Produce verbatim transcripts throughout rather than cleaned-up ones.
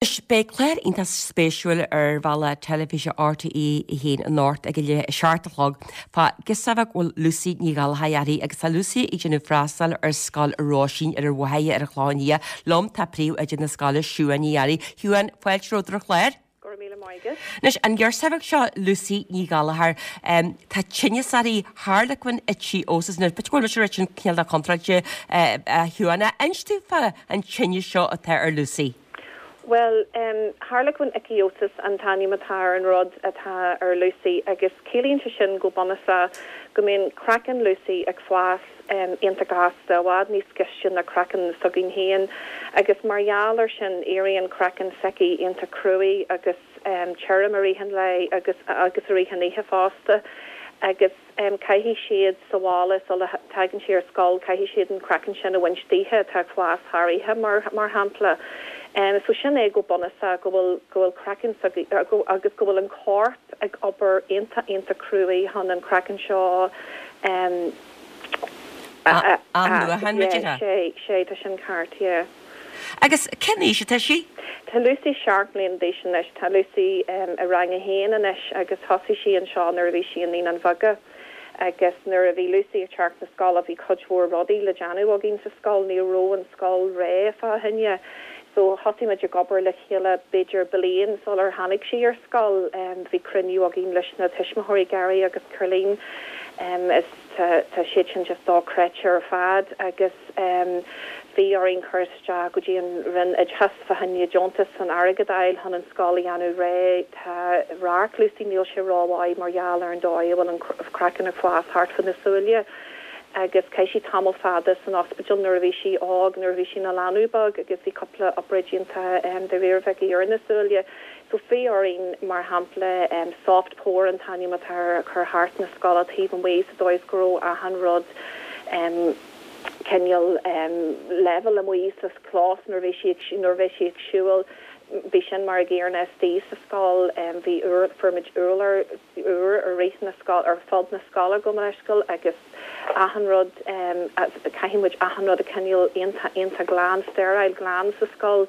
Beidh clár iontach spéisiúil ar bhalla teilifíse RTÉ a haon anocht ag a leath a seacht a chlog fá ghirseach bheag bhfuil Lucy Ní Ghallchóir uirthi agus tá Lucy ag déanamh freastal ar scoil Róisín ar an Mhachaire ar an Chlochán Liath. Liom tá príomhoide na scoile Siún Ní Fhearraigh. Shiún fáilte romhat ar an chlár. Anois an ghirseach bheag seo Lucy Ní Ghallchóir tá tinneas uirthi Harlequin ichthyosis nó b'fhéidir go bhfuil mise sin cineál de contráilte a Shiún inis dúinn fá an tinneas seo atá ar Lucy. Well, um, Harlequin ichthyosis an t-ainm atá ar an rud atá ar Lucy agus ciallaíonn sé sin go bunúsach go mbíonn craiceann Lucy ag fás um, iontach gasta bhfad níos gaiste ná craiceann s'againn féin agus mar gheall ar sin éiríonn craiceann s'aici iontach cruaidh agus um, tirim i rith an lae agus agus i rith an oíche fosta agus um, caithfidh siad sa bhaile sula tagann sí ar scoil caithfidh siad an craiceann sin a bhaint dithe atá fás thar oíche mar mar shampla. Um, so sin é go bunúsach go bhfuil go bhfuil craiceann agus go bhfuil an corp ag obair iontach iontach cruaidh chun an craiceann seo um, sé sé tá sin ceart yeah. Agus cén aois atá sí? Tá Lucy seacht mbliana d'aois anois tá Lucy um, i rang a haon anois agus thosaigh sí anseo nuair a bhí sí i Naíonáin Bheaga. agus nuair a bhí Lucy ag teacht na scoile bhí cuid mhór rudaí le déanamh againn sa scoil ní raibh an scoil réidh fá choinne. So thosaigh muid ag obair le chéile b'fhéidir bliain sular tháinig sí ar scoil um, bhí cruinniú againn leis na tuismitheoirí Gary agus Caroline um, is tá siad sin just dochreidte ar fad agus um, bhí orainn cur isteach go dtí an Roinn Oideachais fá choinne deontas an airgead a fháil chun an scoil a dhéanamh réidh tá radharc Lucy níl sé rómhaith mar gheall ar an dóigh bhfuil an craiceann ag fás thart fá na súile. agus chaith sí tamall fada san ospidéal nuair a bhí sí óg nuair a bhí sí ina leanbh beag agus bhí cúpla obráid déanta um, de réir bheith ar na súile. So bhí orainn mar shampla um, soft pour an t-ainm atá chur thart na scoile taobh amuigh sa dóigh go raibh achan rud um, cineál um, level amuigh sa chlós nuair bhí sí nuair bhí sí ag siúl bhí sin mar a gcéanna istigh sa scoil um, bhí fuair muid urlár úr ar rith na scoil ar fud na scoile go leisciil agus achan rud um, caithfidh muid achan rud a choinneáil iontach glan sterile glan sa scoil.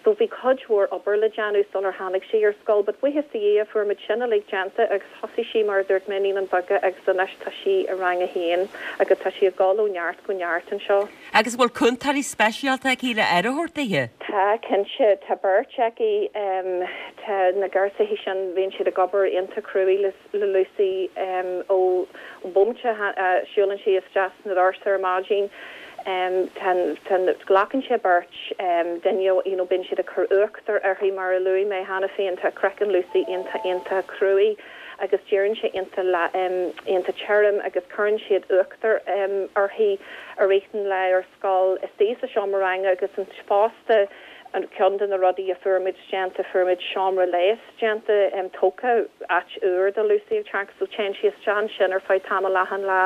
So bhí cuid mhór obair le déanamh sular tháinig sí ar scoil, but buíochas do Dhia fuair muid sin uilig déanta agus thosaigh sí mar dúirt mé i Naíonáin Bheaga agus anois tá sí i rang a haon agus tá sí ag dul ó neart go neart anseo. Agus bhfuil cúntóirí speisialta aici le aire a thabhairt dithe? Tá cinnte tá beirt aici um, tá na garsaí sin bhíonn siad ag obair iontach cruaidh le, le Lucy um, ó bomaite uh, siúlann sí isteach na doirse ar maidin. Um, glacann sé beirt um, duine you know, bíonn siad ag cur uachtar uirthi mar a luaigh mé cheana féin tá craiceann Lucy iontach iontach cruaidh agus éiríonn sé iontach um, iontach tirim agus cuireann siad uachtar um, uirthi i rith an lae ar scoil istigh sa seomra ranga agus an fosta an ceann de na rudaí a fuair muid déanta fuair muid seomra leighis déanta um, tógtha áit úr do Lucy ag teacht so téann sí isteach sin ar feadh tamall achan lá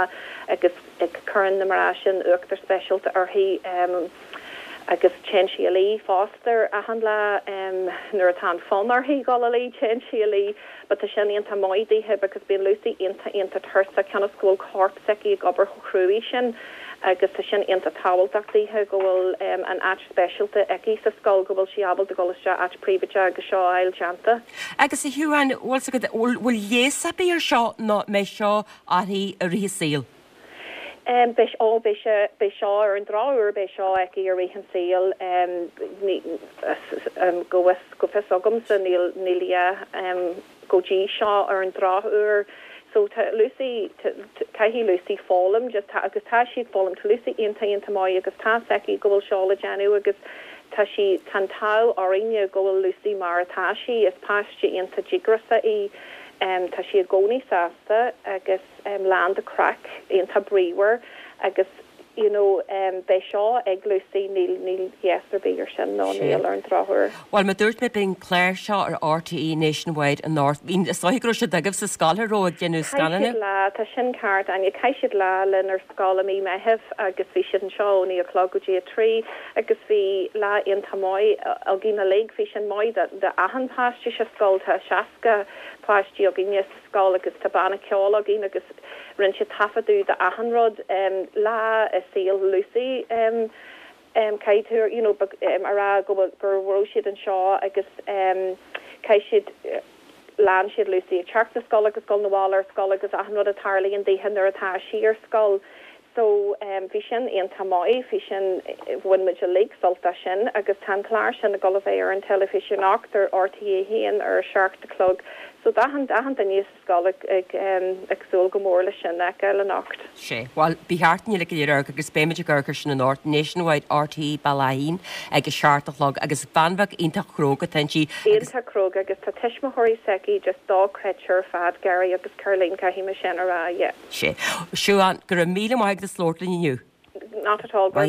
agus ag cuireann na mná sin uachtar speisialta uirthi um, agus téann sí a luí fosta achan lá um, nuair atá an fonn uirthi dul a luí téann sí a luí, but tá sin iontach maith dithe because bíonn Lucy iontach iontach tuirseach cionn is go bhfuil corp s'aici ag obair chomh cruaidh sin agus tá sin iontach tábhachtach dithe go bhfuil um, an áit speisialta aici sa scoil go bhfuil sí ábalta dul isteach áit príobháideach agus seo a fháil déanta. Agus a Shiúin bhfuil leigheas ar bith ar seo nó mé seo uirthi i rith a saoil. Um, beidh ó beidh sé seo ar an drochuair beidh seo aici i rith an saoil um, um, go go fios agamsa níl níl um, go dtí seo ar an drochuair. So tá Lucy caithfidh Lucy foghlaim just tá agus tá sí foghlaim tá Lucy iontach iontach maith agus tá aici go bhfuil seo le déanamh agus tá sí tá an t-ádh orainne go bhfuil Lucy mar atá sí is páiste iontach díograiseach í um, tá sí i gcónaí sásta agus um, lán de craic iontach bríomhar agus you know um, beidh seo ag Lucy níl níl leigheas ar bith ar sin nó níl ar an drochuair. Well mar dúirt mé beidh an clár seo ar RTÉ Nationwide anocht. Bhín is dóigh go raibh siad agaibh sa scoil ró ag déanamh scannáin? lá tá sin ceart Áine chaith siad lá linn ar scoil i mí Mheithimh agus bhí siad anseo ó naoi a chlog go dtí a trí agus bhí lá iontach maith againn uilig bhí sin maith de achan páiste sa scoil tá seasca páistí againne sa scoil agus tá banna ceoil againn agus rinne siad taifeadadh de achan rud um, lá i saol Lucy um, Um, caithfidh tú you know, um, a rá go gur raibh siad anseo agus um, caithfidh siad lean siad Lucy ag teacht na scoile agus dul abhaile ar scoil agus achan rud a tharlaíonn dithe nuair atá sí ar scoil. So um, bhí sin iontach maith, bhí sin bhain muid uilig sult as sin agus tá an clár sin ag gabháil a bheith ar an teilifís anocht ar RTÉ haon ar a seacht a chlog. So d'achan achan duine sa scoil ag ag um, ag súil go mór le sin a fheiceáil anocht. Sé Well bí cheart ní le go agus beimid ag amharc air sin anocht Nationwide RTÉ Bealach ag a seacht a chlog agus bean bheag iontach cróga atá inti Iontach cróga agus tá tuismitheoirí s'aici just dochreidte ar fad Gary agus Caroline caithfidh mé sin a rá yeah. Sé Siobhán go raibh míle maith agat as labhairt linn inniu. Not at all.